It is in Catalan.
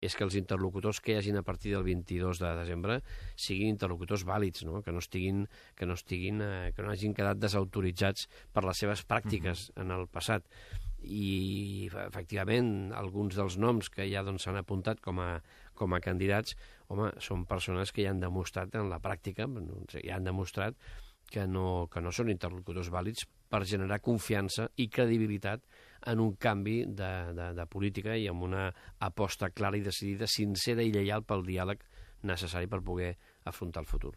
és que els interlocutors que hi hagin a partir del 22 de desembre siguin interlocutors vàlids, no? Que no hagin quedat desautoritzats per les seves pràctiques en el passat. I, efectivament, alguns dels noms que ja s'han apuntat com a candidats, home, són persones que ja han demostrat en la pràctica, ja han demostrat que no són interlocutors vàlids per generar confiança i credibilitat en un canvi de política i amb una aposta clara i decidida, sincera i lleial pel diàleg necessari per poder afrontar el futur.